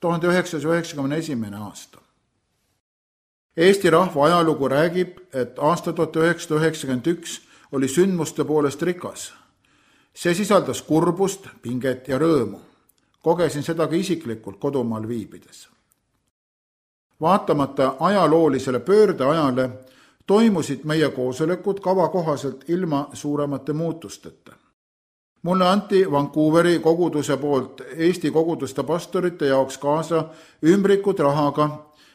1991. aasta. Eesti rahva ajalugu räägib, et aasta 1991 oli sündmuste poolest rikas. See sisaldas kurbust, pinget ja rõõmu. Kogesin seda ka isiklikult kodumaal viibides. Vaatamata ajaloolisele pöördeajale toimusid meie koosolekud kava kohaselt ilma suuremate muutusteta. Mulle anti Vancouveri koguduse poolt Eesti koguduste pastorite jaoks kaasa ümbrikud rahaga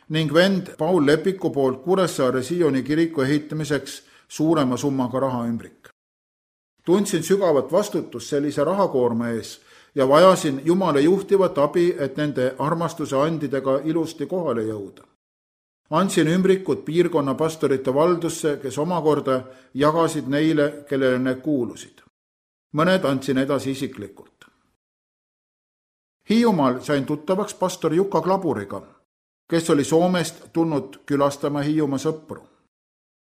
ning vend Paul Lepiku poolt Kuressaare Sioni kiriku ehitamiseks suurema summaga rahaümbrik. Tundsin sügavat vastutust sellise rahakoorma ees ja vajasin Jumala juhtivat abi, et nende armastuse andidega ilusti kohale jõuda. Andsin ümbrikud piirkonna pastorite valdusse, kes omakorda jagasid neile, kellele need kuulusid. Mõned andsin edasi isiklikult. Hiiumaal sain tuttavaks pastor Jukka Klaburiga, kes oli Soomest tulnud külastama Hiiumaa sõpru.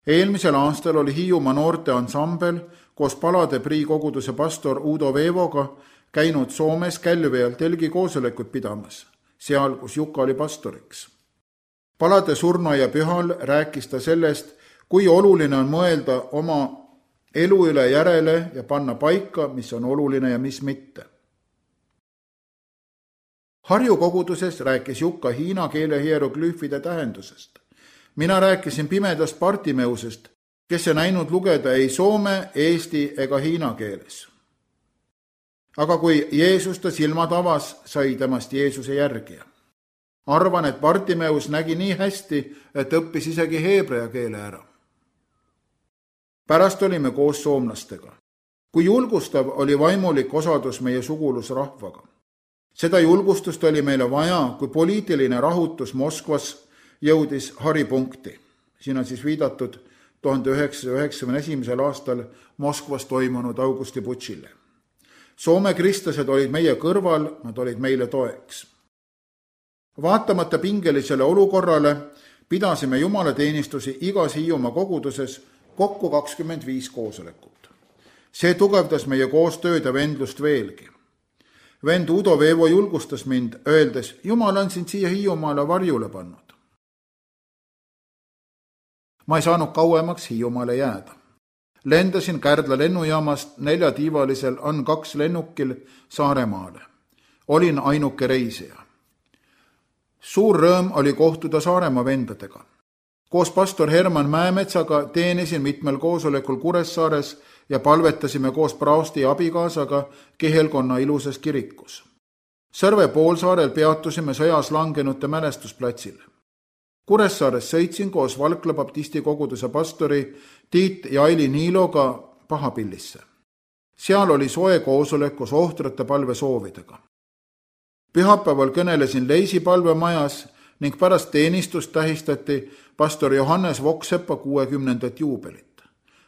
Eelmisel aastal oli Hiiumaa noorte ansambel koos Palade Prii koguduse pastor Udo Veevoga käinud Soomes Kälvial telgi koosolekut pidamas, seal, kus Jukka oli pastoriks. Palade surnuaia pühal rääkis ta sellest, kui oluline on mõelda oma elu üle järele ja panna paika, mis on oluline ja mis mitte. Harju koguduses rääkis Jukka hiina keele hieroglüüfide tähendusest. Mina rääkisin pimedast Bartimeusest, kes ei näinud lugeda ei soome, eesti ega hiina keeles. Aga kui Jeesus ta silmad avas, sai temast Jeesuse järgija. Arvan, et Bartimeus nägi nii hästi, et õppis isegi heebrea keele ära. Pärast olime koos soomlastega. Kui julgustav oli vaimulik osadus meie sugulusrahvaga. Seda julgustust oli meile vaja, kui poliitiline rahutus Moskvas jõudis haripunkti. Siin on siis viidatud 1991. aastal Moskvas toimunud augustiputšile. Soome kristlased olid meie kõrval, nad olid meile toeks. Vaatamata pingelisele olukorrale pidasime jumalateenistusi igas Hiiumaa koguduses kokku 25 koosolekut. See tugevdas meie koostööd ja vendlust veelgi. Vend Udo Veevo julgustas mind, öeldes, Jumal on sind siia Hiiumaale varjule pannud. Ma ei saanud kauemaks Hiiumaale jääda. Lendasin Kärdla lennujaamast 4-tiivalisel AN2 lennukil Saaremaale. Olin ainuke reisija. Suur rõõm oli kohtuda Saaremaa vendadega. Koos pastor Herman Mäemetsaga teenisin mitmel koosolekul Kuressaares ja palvetasime koos praosti abikaasaga Kihelkonna ilusas kirikus. Sõrve poolsaarel peatusime sõjas langenute mälestusplatsil. Kuressaares sõitsin koos Valkla baptisti koguduse pastori Tiit ja Aili Niiloga Pahapillisse. Seal oli soe koosolek koos ohtrate palvesoovidega. Pühapäeval kõnelesin Leisi palvemajas ning pärast teenistust tähistati pastor Johannes Voksepa 60. juubelit.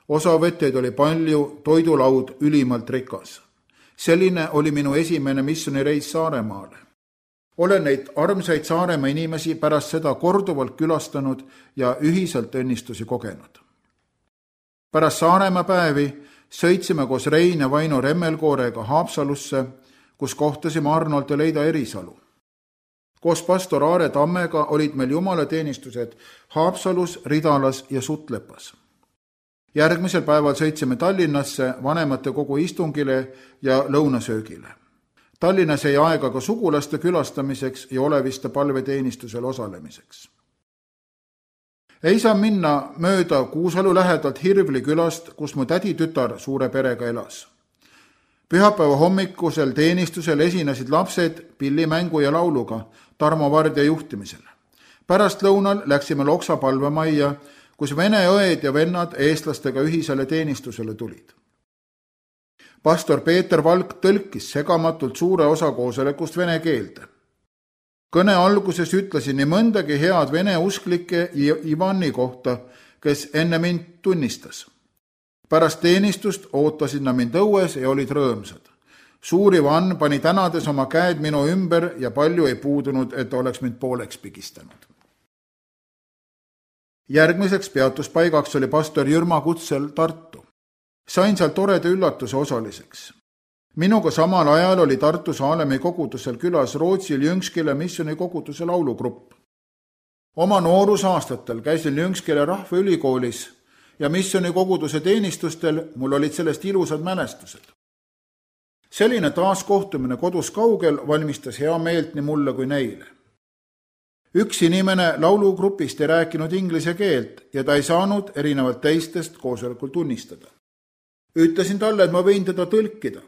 Osavõtjaid oli palju, toidulaud ülimalt rikas. Selline oli minu esimene missioonireis Saaremaale. Olen neid armsaid Saaremaa inimesi pärast seda korduvalt külastanud ja ühiselt õnnistusi kogenud. Pärast Saaremaa päevi sõitsime koos Rein ja Vaino Remmelkoorega Haapsalusse, kus kohtasime Arnold ja Leida Erisalu. Koos pastor Aare Tammega olid meil jumalateenistused Haapsalus, Ridalas ja Sutlepas. Järgmisel päeval sõitsime Tallinnasse vanemate kogu istungile ja lõunasöögile. Tallinnas jäi aega ka sugulaste külastamiseks ja Oleviste palveteenistusel osalemiseks. Ei saa minna mööda Kuusalu lähedalt Hirvli külast, kus mu täditütar suure perega elas. Pühapäeva hommikusel teenistusel esinesid lapsed pillimängu ja lauluga Tarmo Vardja juhtimisel. Pärast lõunal läksime Loksa palvemajja, kus vene õed ja vennad eestlastega ühisele teenistusele tulid. Pastor Peeter Valk tõlkis segamatult suure osa koosolekust vene keelde. Kõne alguses ütlesin nii mõndagi head vene usklike Ivani kohta, kes enne mind tunnistas. Pärast teenistust ootasid nad mind õues ja olid rõõmsad. Suur Ivan pani tänades oma käed minu ümber ja palju ei puudunud, et oleks mind pooleks pigistanud. Järgmiseks peatuspaigaks oli pastor Jürma kutsel Tartu. Sain seal toreda üllatuse osaliseks. Minuga samal ajal oli Tartu Saalemi kogudusel külas Rootsi Ljungskile missiooni koguduse laulugrupp. Oma noorusaastatel käisin Ljungskile rahvaülikoolis ja missiooni koguduse teenistustel mul olid sellest ilusad mälestused. Selline taaskohtumine kodus kaugel valmistas hea meelt nii mulle kui neile. Üks inimene laulugrupist ei rääkinud inglise keelt ja ta ei saanud erinevalt teistest koosolekul tunnistada. Ütlesin talle, et ma võin teda tõlkida.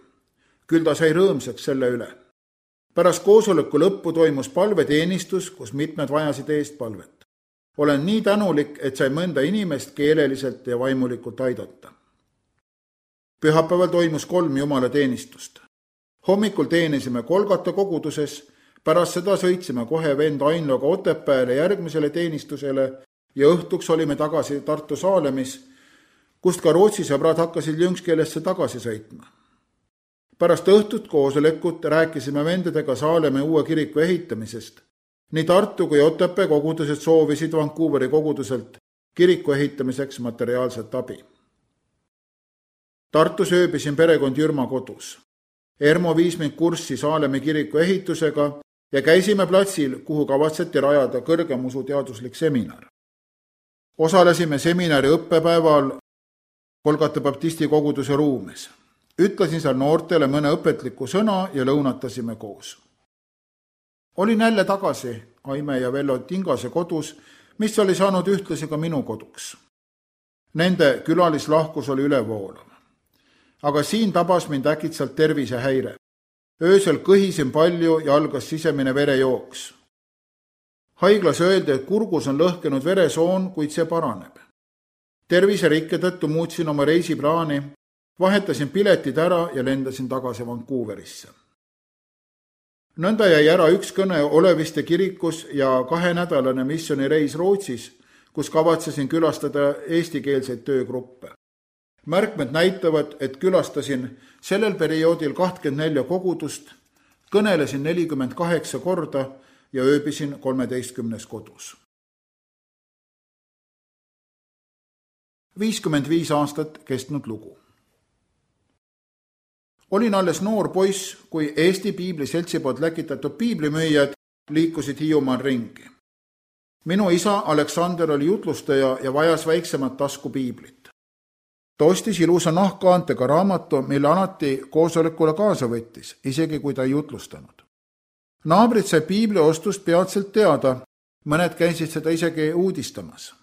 Küll ta sai rõõmsaks selle üle. Pärast koosoleku lõppu toimus palveteenistus, kus mitmed vajasid eestpalvet. Olen nii tänulik, et sai mõnda inimest keeleliselt ja vaimulikult aidata. Pühapäeval toimus 3 jumalateenistust. Hommikul teenisime Kolgata koguduses, pärast seda sõitsime kohe vend Ainloga Otepääle järgmisele teenistusele ja õhtuks olime tagasi Tartu Saalemis, kust ka Rootsi sõbrad hakkasid Ljungskilesse tagasi sõitma. Pärast õhtut koosolekut rääkisime vendadega Saaleme uue kiriku ehitamisest. Nii Tartu kui Otepää kogudused soovisid Vancouveri koguduselt kiriku ehitamiseks materiaalset abi. Tartus ööbisin perekond Jürma kodus. Ermo viis mind kurssi Saalemi kiriku ehitusega ja käisime platsil, kuhu kavatseti rajada kõrgem usuteaduslik seminar. Osalesime seminari õppepäeval Kolgata baptisti koguduse ruumes. Ütlesin seal noortele mõne õpetliku sõna ja lõunatasime koos. Olin jälle tagasi Aime ja Vello Tingase kodus, mis oli saanud ühtlasi ka minu koduks. Nende külalislahkus oli ülevoolav. Aga siin tabas mind äkitselt tervisehäire. Öösel kõhisin palju ja algas sisemine verejooks. Haiglas öeldi, et kurgus on lõhkenud veresoon, kuid see paraneb. Terviserikke tõttu muutsin oma reisiplaani, vahetasin piletid ära ja lendasin tagasi Vancouverisse. Nõnda jäi ära üks kõne Oleviste kirikus ja 2-nädalane missioonireis Rootsis, kus kavatsesin külastada eestikeelseid töögruppe. Märkmed näitavad, et külastasin sellel perioodil 24 kogudust, kõnelesin 48 korda ja ööbisin 13 kodus. 55 aastat kestnud lugu. Olin alles noor poiss, kui Eesti Piibliseltsi poolt läkitatud piiblimüüjad liikusid Hiiumaal ringi. Minu isa Aleksander oli jutlustaja ja vajas väiksemat tasku piiblit. Ta ostis ilusa nahkkaantega raamatu, mille alati koosolekule kaasa võttis, isegi kui ta ei jutlustanud. Naabrid sai piibli ostust peatselt teada, mõned käisid seda isegi uudistamas.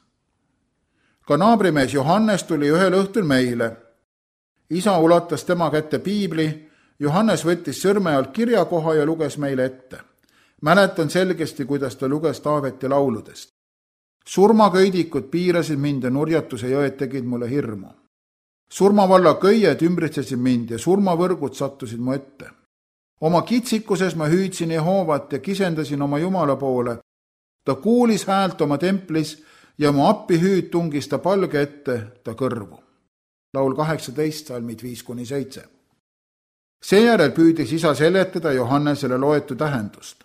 Ka naabrimees Johannes tuli ühel õhtul meile. Isa ulatas tema kätte piibli, Johannes võttis sõrme alt kirjakoha ja luges meile ette. Mäletan selgesti, kuidas ta luges Taaveti lauludest. Surmaköidikud piirasid mind ja nurjatuse jõed tegid mulle hirmu. Surmavalla köied ümbritsesid mind ja surmavõrgud sattusid mu ette. Oma kitsikuses ma hüüdsin Jehoovat ja kisendasin oma Jumala poole. Ta kuulis häält oma templis ja mu appihüüd tungis ta palge ette ta kõrvu. Laul 18, salmid 5-7. Seejärel püüdis isa seletada Johannesele loetu tähendust.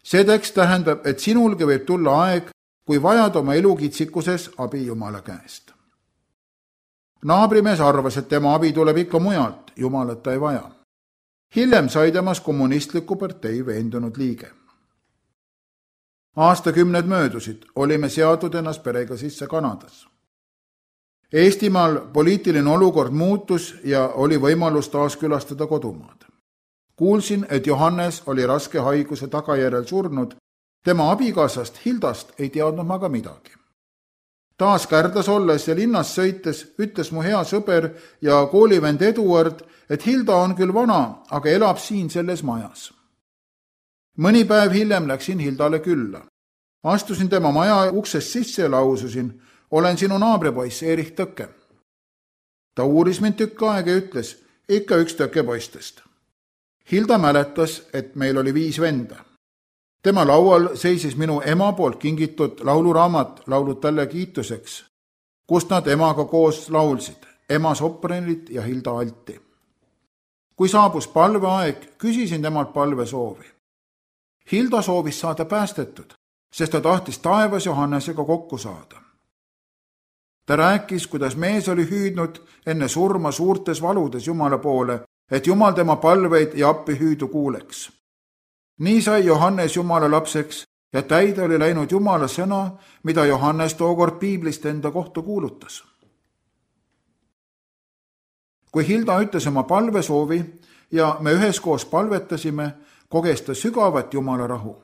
See tekst tähendab, et sinulgi võib tulla aeg, kui vajad oma elukitsikuses abi Jumala käest. Naabrimees arvas, et tema abi tuleb ikka mujalt, Jumalat ta ei vaja. Hiljem sai temas kommunistliku partei veendunud liige. Aastakümned möödusid, olime seadud ennast perega sisse Kanadas. Eestimaal poliitiline olukord muutus ja oli võimalus taas külastada kodumaad. Kuulsin, et Johannes oli raske haiguse tagajärjel surnud. Tema abikaasast Hildast ei teadnud ma ka midagi. Taas Kärdas olles ja linnas sõites ütles mu hea sõber ja koolivend Eduard, et Hilda on küll vana, aga elab siin selles majas. Mõni päev hiljem läksin Hildale külla. Astusin tema maja uksest sisse ja laususin, olen sinu naabripoiss Erich Tõkke. Ta uuris mind tükk aega ja ütles, ikka üks Tõkke poistest. Hilda mäletas, et meil oli 5 venda. Tema laual seisis minu ema poolt kingitud lauluraamat Laulud talle kiituseks, kust nad emaga koos laulsid, ema sopranit ja Hilda alti. Kui saabus palveaeg, küsisin temalt palvesoovi. Hilda soovis saada päästetud, sest ta tahtis taevas Johannesega kokku saada. Ta rääkis, kuidas mees oli hüüdnud enne surma suurtes valudes Jumala poole et Jumal tema palveid ja appihüüdu kuuleks. nii sai Johannes Jumala lapseks ja täide oli läinud Jumala sõna, mida Johannes tookord piiblist enda kohta kuulutas. kui Hilda ütles oma palvesoovi ja me üheskoos palvetasime, koges ta sügavat Jumala rahu.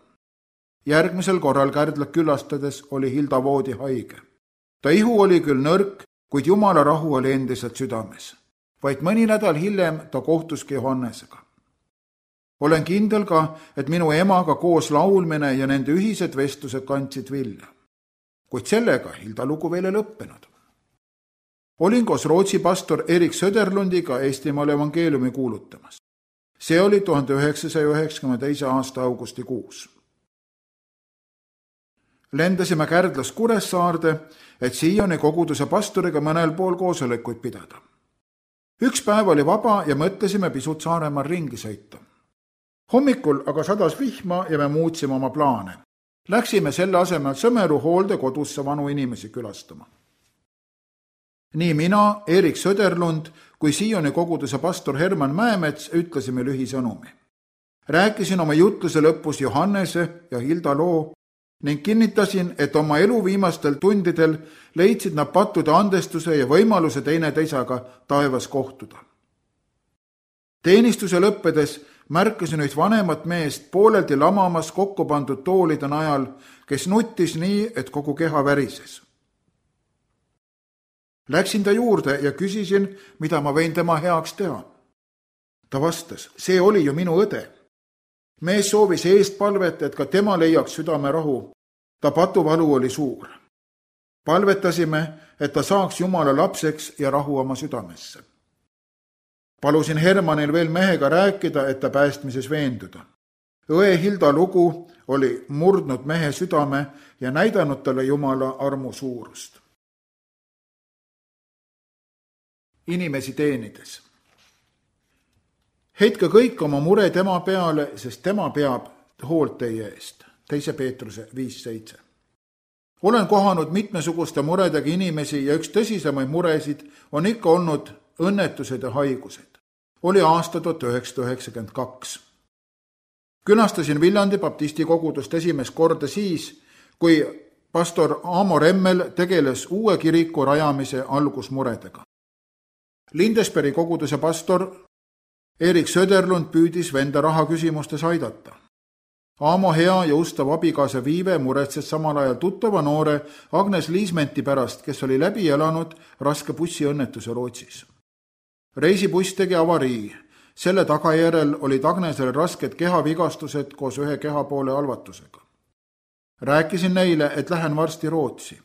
Järgmisel korral Kärdlat külastades oli Hilda voodi haige. Ta ihu oli küll nõrk, kuid Jumala rahu oli endiselt südames. Vaid mõni nädal hiljem ta kohtuski Johannesega. Olen kindel ka, et minu emaga koos laulmine ja nende ühised vestlused kandsid vilja. Kuid sellega Hilda lugu veel ei lõppenud. Olin koos Rootsi pastor Erik Söderlundiga Eestimaal evangeeliumi kuulutamas. See oli 1992. aasta augustikuus. Lendasime Kärdlast Kuressaarde, et Siioni koguduse pastoriga mõnel pool koosolekuid pidada. Üks päev oli vaba ja mõtlesime pisut Saaremaal ringi sõita. Hommikul aga sadas vihma ja me muutsime oma plaane. Läksime selle asemel Sõmeru hooldekodusse vanu inimesi külastama. Nii mina, Erik Söderlund kui Siioni koguduse pastor Herman Mäemets ütlesime lühisõnumi. Rääkisin oma jutluse lõpus Johannese ja Hilda loo ning kinnitasin, et oma elu viimastel tundidel leidsid nad pattude andestuse ja võimaluse teineteisaga taevas kohtuda. Teenistuse lõppedes märkasin üht vanemat meest pooleldi lamamas kokku pandud toolide najal, kes nuttis nii, et kogu keha värises. Läksin ta juurde ja küsisin, mida ma võin tema heaks teha. Ta vastas, see oli ju minu õde. Mees soovis eest palvet, et ka tema leiaks südame rahu. Ta patuvalu oli suur. Palvetasime, et ta saaks Jumala lapseks ja rahu oma südamesse. Palusin Hermanil veel mehega rääkida, et ta päästmises veenduda. Õe Hilda lugu oli murdnud mehe südame ja näidanud talle Jumala armu suurust. Inimesi teenides. Heitke kõik oma mure tema peale, sest tema peab hoolt teie eest. 2. Peetruse 5:7. Olen kohanud mitmesuguste muredega inimesi ja üks tõsisemaid muresid on ikka olnud õnnetused ja haigused. Oli aasta 1992. Külastasin Viljandi baptisti kogudust esimest korda siis, kui pastor Aamo Remmel tegeles uue kiriku rajamise algusmuredega. Lindesbergi koguduse pastor Erik Söderlund püüdis venda raha küsimustes aidata. Aamo hea ja ustav abikaasa Viive muretses samal ajal tuttava noore Agnes Liismenti pärast, kes oli läbi elanud raske bussiõnnetuse Rootsis. Reisibuss tegi avarii. Selle tagajärel olid Agnesel rasked kehavigastused koos ühe kehapoole halvatusega. Rääkisin neile, et lähen varsti Rootsi.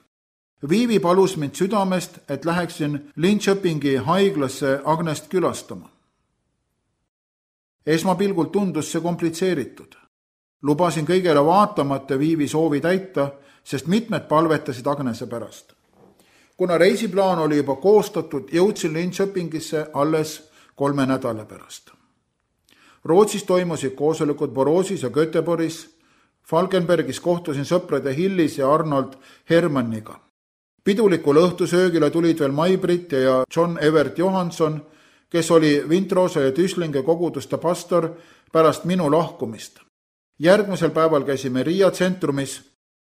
Viivi palus mind südamest, et läheksin Linköpingi haiglasse Agnest külastama. Esmapilgult tundus see komplitseeritud. Lubasin kõigele vaatamata Viivi soovi täita, sest mitmed palvetasid Agnese pärast. Kuna reisiplaan oli juba koostatud, jõudsin Linköpingisse alles 3 nädala pärast. Rootsis toimusid koosolekud Borosis ja Göteborgis. Falkenbergis kohtusin sõprade Hillis ja Arnold Hermanniga. Pidulikul õhtusöögile tulid veel Mai-Britt ja John Evert Johansson, kes oli Vintrosa ja Tüslinge koguduste pastor pärast minu lahkumist. Järgmisel päeval käisime Riia tsentrumis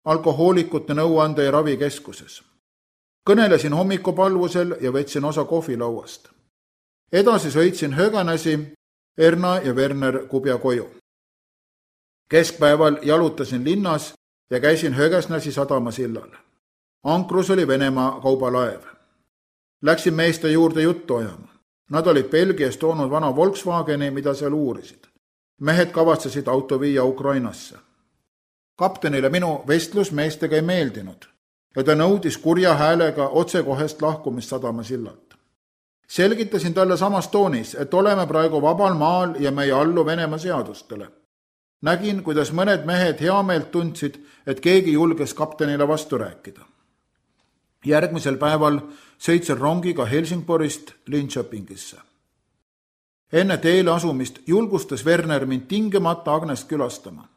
alkohoolikute nõuande- ja ravikeskuses. Kõnelesin hommikupalvusel ja võtsin osa kohvilauast. Edasi sõitsin Höganäsi, Erna ja Werner Kubja koju. Keskpäeval jalutasin linnas ja käisin Högasnäsi sadamasillal. Ankrus oli Venemaa kaubalaev. Läksin meeste juurde juttu ajama. Nad olid Belgiast toonud vana Volkswageni, mida seal uurisid. Mehed kavatsesid auto viia Ukrainasse. Kaptenile minu vestlus meestega ei meeldinud ja ta nõudis kurja häälega otsekohest lahkumist sadamasillalt. Selgitasin talle samas toonis, et oleme praegu vabal maal ja me ei allu Venemaa seadustele. Nägin, kuidas mõned mehed heameelt tundsid, et keegi julges kaptenile vastu rääkida. Järgmisel päeval sõitsin rongiga Helsingborist Linköpingisse. Enne teele asumist julgustas Werner mind tingimata Agnest külastama.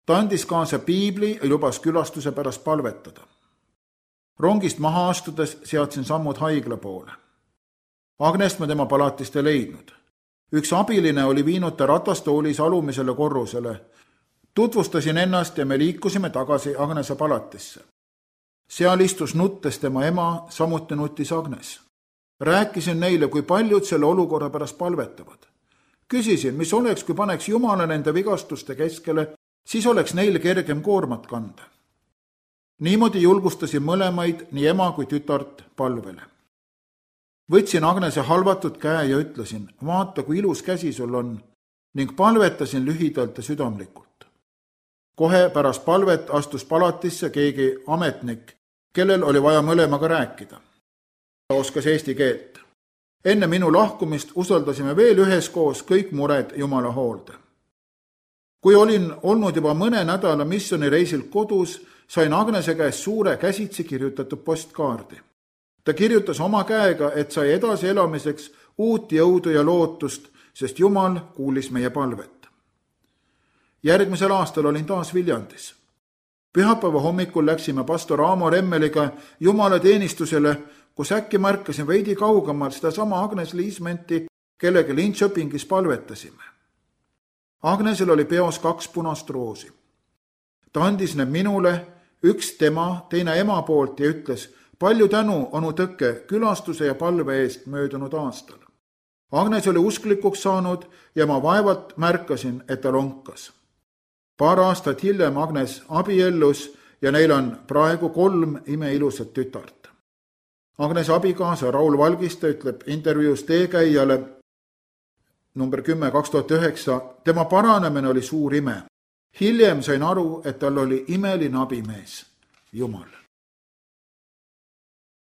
Ta andis kaasa piibli ja lubas külastuse pärast palvetada. Rongist maha astudes seadsin sammud haigla poole. Agnest ma tema palatist ei leidnud. üks abiline oli viinud ta ratastoolis alumisele korrusele. Tutvustasin ennast ja me liikusime tagasi Agnese palatisse. Seal istus nuttes tema ema, samuti nutis Agnes. Rääkisin neile, kui paljud selle olukorra pärast palvetavad. Küsisin, mis oleks, kui paneks Jumala nende vigastuste keskele, siis oleks neil kergem koormat kanda. Niimoodi julgustasin mõlemaid, nii ema kui tütart, palvele. Võtsin Agnese halvatud käe ja ütlesin, vaata, kui ilus käsi sul on, ning palvetasin lühidalt ja südamlikult. Kohe pärast palvet astus palatisse keegi ametnik, kellel oli vaja mõlemaga rääkida. Ta oskas eesti keelt. Enne minu lahkumist usaldasime veel üheskoos kõik mured Jumala hoolde. Kui olin olnud juba mõne nädala missioonireisil kodus, sain Agnese käest suure käsitsi kirjutatud postkaardi. Ta kirjutas oma käega, et sai edasi elamiseks uut jõudu ja lootust, sest Jumal kuulis meie palvet. Järgmisel aastal olin taas Viljandis. Pühapäeva hommikul läksime pastor Aamo Remmeliga Jumala teenistusele, kus äkki märkasin veidi kaugemal seda sama Agnes Liismenti, kellega Linköpingis palvetasime. Agnesel oli peos 2 punast roosi. Ta andis need minule, üks tema, teine ema poolt ja ütles, palju tänu, onu Tõkke, külastuse ja palve eest möödunud aastal. Agnes oli usklikuks saanud ja ma vaevalt märkasin, et ta lonkas. Paar aastat hiljem Agnes abiellus ja neil on praegu 3 imeilusat tütart. Agnes abikaasa Raul Valgiste ütleb intervjuus Teekäijale number 10 2009, tema paranemine oli suur ime. Hiljem sain aru, et tal oli imeline abimees, Jumal.